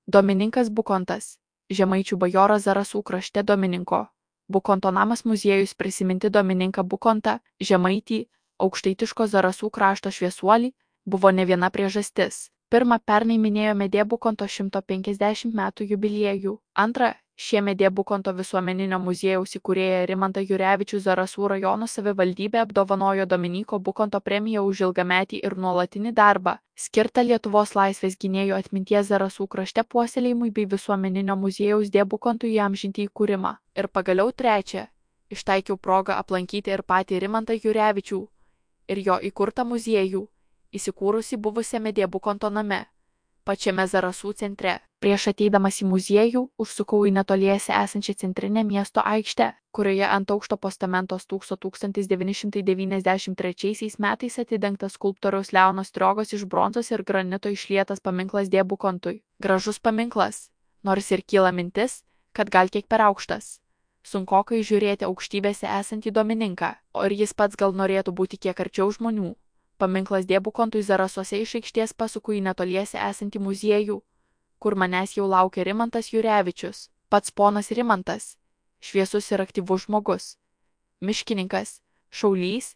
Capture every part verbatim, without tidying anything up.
Domininkas Bukontas, žemaičių bajoras Zarasų krašte Domininko Bukonto namas muziejus prisiminti Domininką Bukontą, žemaitį, aukštaitiško Zarasų krašto šviesuolį, buvo ne viena priežastis. Pirma, pernai minėjome D. Bukonto šimto penkiasdešimt metų jubiliejų. Antra, šiemet D. Bukonto visuomeninio muziejaus įkūrėją Rimantą Jurevičių Zarasų rajono savivaldybė apdovanojo Dominyko Bukonto premiją už ilgametį ir nuolatinį darbą, skirtą Lietuvos laisvės gynėjų atminties Zarasų krašte puoselėjimui bei visuomeninio muziejaus D. Bukontui įamžinti įkūrimą. Ir pagaliau trečia, ištaikiau progą aplankyti ir patį Rimantą Jurevičių ir jo įkurtą muziejų, įsikūrusi buvusiame D. Bukonto name, pačiame Zarasų centre. Prieš ateidamas į muziejų, užsukau į netoliese esančią centrinę miesto aikštę, kurioje ant aukšto postamento stūkso tūkstantis devyni šimtai devyniasdešimt trečiaisiais metais atidengtas skulptoriaus Leono Striogos iš bronzos ir granito išlietas paminklas D. Bukontui. Gražus paminklas, nors ir kyla mintis, kad gal kiek per aukštas. Sunkokai žiūrėti aukštybėse esantį Domininką, o ir jis pats gal norėtų būti kiek arčiau žmonių. Paminklas D. Bukontui Zarasuose iš aikštės pasuku į netoliese esantį muziejų, kur manęs jau laukia Rimantas Jurevičius, pats ponas Rimantas, šviesus ir aktyvus žmogus, miškininkas, šaulys,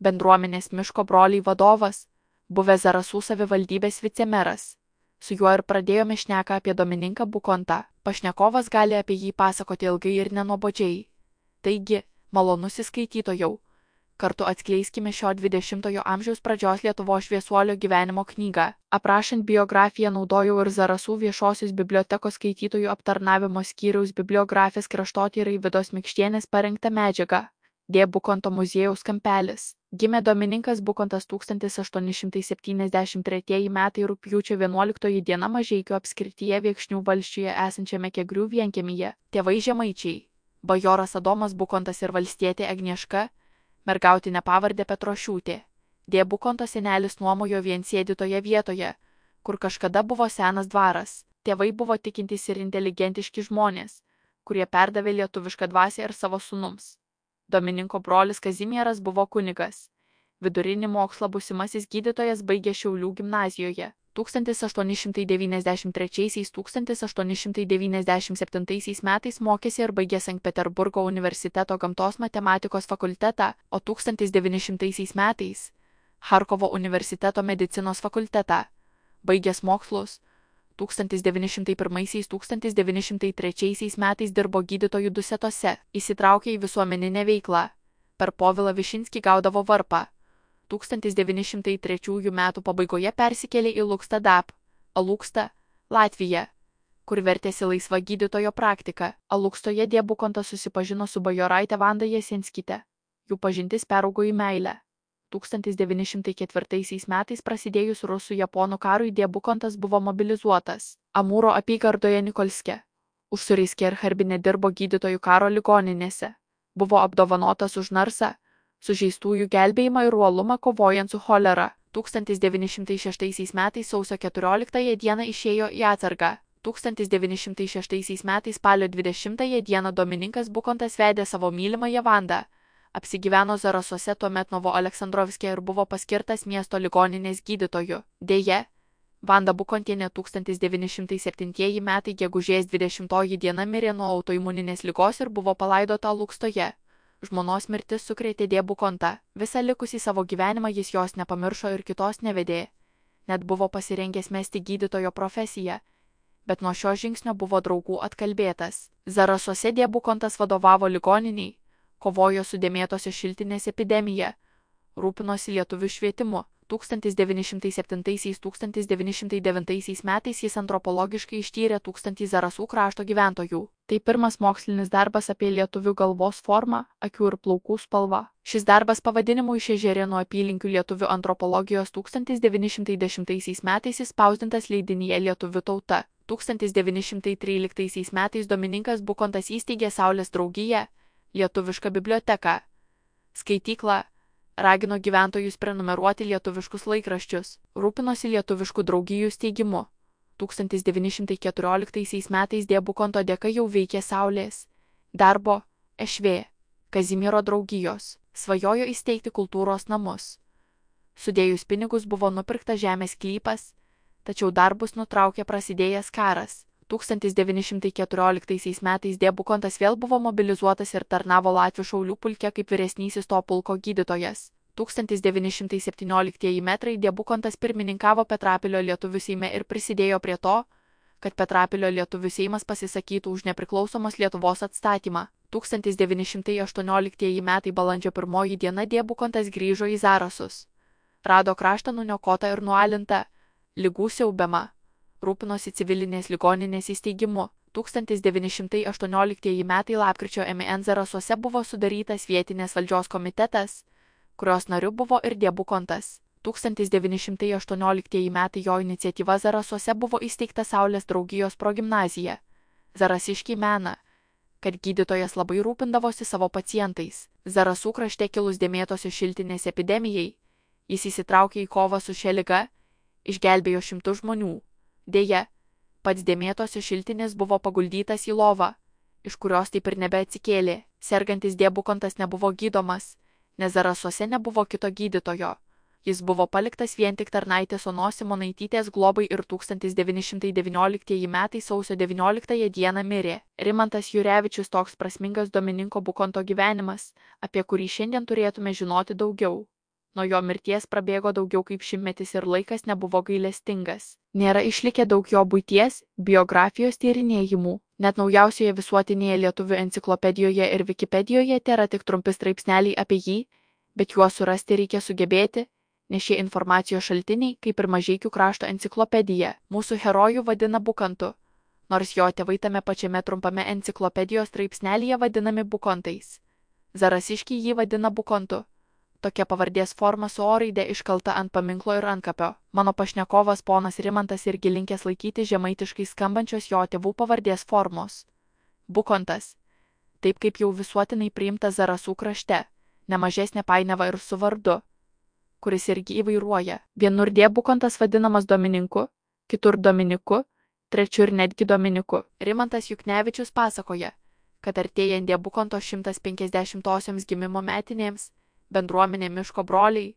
bendruomenės miško broliai vadovas, buvęs Zarasų savivaldybės vicemeras. Su juo ir pradėjome šneką apie Domininką Bukontą. Pašnekovas gali apie jį pasakoti ilgai ir nenuobodžiai. Taigi, malonusis skaitytojau, kartu atskleiskime šio dvidešimtojo amžiaus pradžios Lietuvos šviesuolio gyvenimo knygą. Aprašant biografiją naudojau ir Zarasų viešosios bibliotekos skaitytojų aptarnavimo skyriaus bibliografės kraštotyrai Vidos Mikštienės parengtą medžiagą. D. Bukonto muziejaus kampelis. Gimė Domininkas Bukontas tūkstantis aštuoni šimtai septyniasdešimt tretieji metai rugpjūčio vienuoliktoji diena Mažeikių apskrityje Viekšnių valsčiuje esančiame Kegrių vienkiemyje. Tėvai žemaičiai. Bajoras Adomas Bukontas ir valstietė Agnieška, mergautinė pavardė Petrošiūtė. D. Bukonto senelis nuomojo viensėdį toje vietoje, kur kažkada buvo senas dvaras. Tėvai buvo tikintys ir inteligentiški žmonės, kurie perdavė lietuvišką dvasią ir savo sūnums. Domininko brolis Kazimieras buvo kunigas. Vidurinį mokslą būsimasis gydytojas baigė Šiaulių gimnazijoje. tūkstantis aštuoni šimtai devyniasdešimt trečiaisiais - tūkstantis aštuoni šimtai devyniasdešimt septintaisiais metais mokėsi ir baigė Sankt Peterburgo universiteto gamtos matematikos fakultetą, o tūkstantis devyni šimtaisiais metais Charkovo universiteto medicinos fakultetą. Baigęs mokslus, tūkstantis devyni šimtai pirmaisiais - tūkstantis devyni šimtai trečiaisiais metais dirbo gydytojų Dusetose, įsitraukė į visuomeninę veiklą. Per Povilą Višinskį gaudavo varpą. tūkstantis devyni šimtai trečiųjų metų pabaigoje persikėlė į Lukstą Dap, Alukstą, Latviją, kur vertėsi laisva gydytojo praktika. Alukstoje D. Bukontas susipažino su bajoraite Vanda Jasenskyte. Jų pažintis peraugo į meilę. tūkstantis devyni šimtai ketvirtaisiais metais prasidėjus rusų-japonų karui D. Bukontas buvo mobilizuotas. Amūro apygardoje Nikolske. Užsuriskė ir Harbine dirbo gydytojų karo ligoninėse. Buvo apdovanotas už narsą, sužeistųjų gelbėjimą ir uolumą kovojant su cholera. tūkstantis devyni šimtai šeštaisiais metais sausio keturioliktąją dieną išėjo į atsargą. tūkstantis devyni šimtai šeštaisiais metais spalio dvidešimtąją dieną Domininkas Bukontas vedė savo mylimąją Vandą. Apsigyveno Zarasuose tuomet Novo Aleksandrovske ir buvo paskirtas miesto ligoninės gydytoju. Deja, Vanda Bukontienė tūkstantis devyni šimtai septintieji metai gegužės dvidešimtoji diena mirė nuo autoimuninės ligos ir buvo palaidota Lukstoje. Žmonos mirtis sukrėtė D. Bukontą. Visą likusį savo gyvenimą jis jos nepamiršo ir kitos nevedė. Net buvo pasirengęs mesti gydytojo profesiją, bet nuo šio žingsnio buvo draugų atkalbėtas. Zarasuose D. Bukontas vadovavo ligoniniai, kovojo su dėmėtosios šiltinės epidemija, rūpinosi lietuvių švietimu. tūkstantis devyni šimtai septintaisiais - tūkstantis devyni šimtai devintaisiais metais jis antropologiškai ištyrė tūkstantį Zarasų krašto gyventojų. Tai pirmas mokslinis darbas apie lietuvių galvos formą, akių ir plaukų spalvą. Šis darbas pavadinimu iš Ežerėnų apylinkių lietuvių antropologijos tūkstantis devyni šimtai dešimtaisiais metais įspausdintas leidinyje Lietuvių tauta. tūkstantis devyni šimtai tryliktaisiais metais Domininkas Bukontas įsteigė Saulės draugiją, lietuvišką biblioteką, skaityklą, ragino gyventojus prenumeruoti lietuviškus laikraščius, rūpinosi lietuviškų draugijų steigimu. tūkstantis devyni šimtai keturioliktaisiais metais D. Bukonto dėka jau veikė Saulės, darbo, Ešvė, Kazimiero draugijos, svajojo įsteigti kultūros namus. Sudėjus pinigus buvo nupirktas žemės sklypas, tačiau darbus nutraukė prasidėjęs karas. tūkstantis devyni šimtai keturioliktaisiais metais D. Bukontas vėl buvo mobilizuotas ir tarnavo Latvių šaulių pulke kaip vyresnysis to pulko gydytojas. tūkstantis devyni šimtai septynioliktieji metrai D. Bukontas pirmininkavo Petrapilio lietuvių seime ir prisidėjo prie to, kad Petrapilio lietuvių seimas pasisakytų už nepriklausomos Lietuvos atstatymą. tūkstantis devyni šimtai aštuonioliktieji metai balandžio pirmoji diena D. Bukontas grįžo į Zarasus. Rado kraštą nuniokotą ir nualintą, ligų siaubiamą. Rūpinosi civilinės ligoninės įsteigimu. tūkstantis devyni šimtai aštuonioliktieji metai lapkričio mėnesį Zarasuose buvo sudarytas vietinės valdžios komitetas, kurios nariu buvo ir D. Bukontas. tūkstantis devyni šimtai aštuonioliktieji metai jo iniciatyva Zarasuose buvo įsteigta Saulės draugijos progimnazija. Zarasiškiai mena, kad gydytojas labai rūpindavosi savo pacientais. Zarasų krašte kilus dėmėtosios šiltinės epidemijai, jis įsitraukė į kovą su šia liga, išgelbėjo šimtus žmonių. Deja, pats dėmėtosios šiltinės buvo paguldytas į lovą, iš kurios taip ir nebeatsikėlė. Sergantis D. Bukontas nebuvo gydomas, nes Zarasuose nebuvo kito gydytojo. Jis buvo paliktas vien tik tarnaitės Onos Simonaitytės globai ir tūkstantis devyni šimtai devynioliktieji metai sausio devynioliktąją dieną mirė. Rimantas Jurevičius. Toks prasmingas Domininko Bukonto gyvenimas, apie kurį šiandien turėtume žinoti daugiau. Nuo jo mirties prabėgo daugiau kaip šimtmetis ir laikas nebuvo gailestingas. Nėra išlikę daug jo buities, biografijos tyrinėjimų. Net naujausioje visuotinėje lietuvių enciklopedijoje ir Wikipedijoje tėra tik trumpi straipsneliai apie jį, bet juos surasti reikia sugebėti, nes šie informacijos šaltiniai, kaip ir Mažeikių krašto enciklopedija, mūsų herojų vadina Bukantu, nors jo tėvai tame pačiame trumpame enciklopedijos straipsnelyje vadinami Bukontais. Zarasiškiai jį vadina Bukontu. Tokia pavardės forma su O raide iškalta ant paminklo ir antkapio. Mano pašnekovas ponas Rimantas irgi linkęs laikyti žemaitiškai skambančios jo tėvų pavardės formos. Bukontas. Taip kaip jau visuotinai priimta Zarasų krašte, nemažesnė painiava ir su vardu, kuris irgi įvairuoja. Vienur D. Bukontas vadinamas Domininku, kitur Dominiku, trečiur ir netgi Dominiku. Rimantas Juknevičius pasakoja, kad artėjant D. Bukonto šimtas penkiasdešimtosioms gimimo metinėms, bendruomenė Miško broliai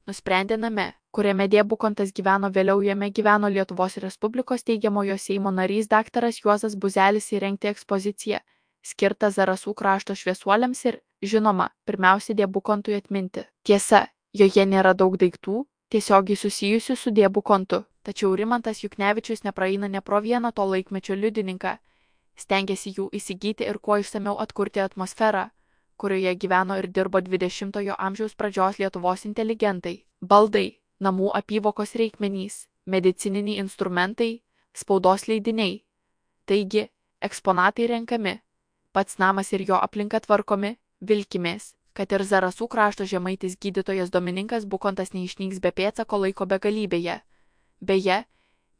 nusprendė name, kuriame D. Bukontas gyveno vėliau jame gyveno Lietuvos Respublikos teigiamojo Seimo narys daktaras Juozas Buzelis įrengti ekspoziciją, skirtą Zarasų krašto šviesuoliams ir, žinoma, pirmiausia D. Bukontui atminti. Tiesa, joje nėra daug daiktų, tiesiogiai susijusių su D. Bukontu, tačiau Rimantas Juknevičius nepraeina ne pro vieną to laikmečio liudininką, stengiasi jų įsigyti ir kuo išsamiau atkurti atmosferą, kurioje gyveno ir dirbo dvidešimtojo amžiaus pradžios Lietuvos inteligentai. Baldai, namų apyvokos reikmenys, medicininiai instrumentai, spaudos leidiniai. Taigi, eksponatai renkami, pats namas ir jo aplinka tvarkomi, vilkimės, kad ir Zarasų krašto žemaitis gydytojas Domininkas Bukontas neišnyks be pėdsako laiko begalybėje. Beje,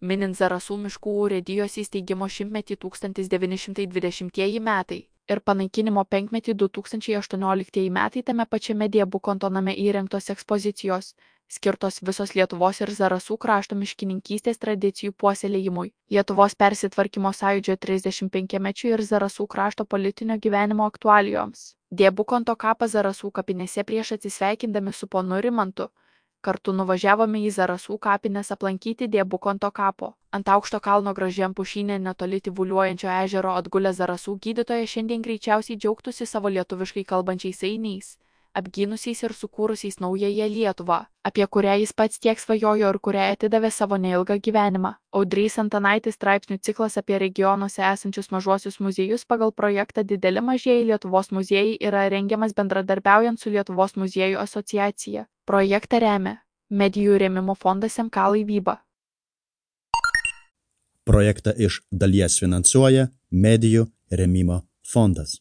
minint Zarasų miškų urėdijos įsteigimo šimtmetį tūkstantis devyni šimtai dvidešimtieji metai ir panaikinimo penkmetį du tūkstančiai aštuonioliktieji metai tame pačiame D. Bukonto name įrengtos ekspozicijos, skirtos visos Lietuvos ir Zarasų krašto miškininkystės tradicijų puoselėjimui, Lietuvos persitvarkymo sąjūdžio trisdešimtpenkmečiui ir Zarasų krašto politinio gyvenimo aktualijoms. D. Bukonto kapas Zarasų kapinėse prieš atsisveikindami su ponu Rimantu. Kartu nuvažiavome į Zarasų kapines aplankyti D. Bukonto kapo. Ant aukšto kalno gražiam pušyne netoli tyvuliuojančio ežero atgulę Zarasų gydytoja šiandien greičiausiai džiaugtųsi savo lietuviškai kalbančiais ainiais, apgynusiais ir sukūrusiais naująją Lietuvą, apie kurią jis pats tiek svajojo ir kuriai atidavė savo neilgą gyvenimą. Audrys Antanaitis straipsnių ciklas apie regionuose esančius mažuosius muziejus pagal projektą Dideli mažieji Lietuvos muziejai yra rengiamas bendradarbiaujant su Lietuvos muziejų asociacija. Projektą remia Medijų rėmimo fondas M K Laivyba. Projektą iš dalies finansuoja Medijų rėmimo fondas.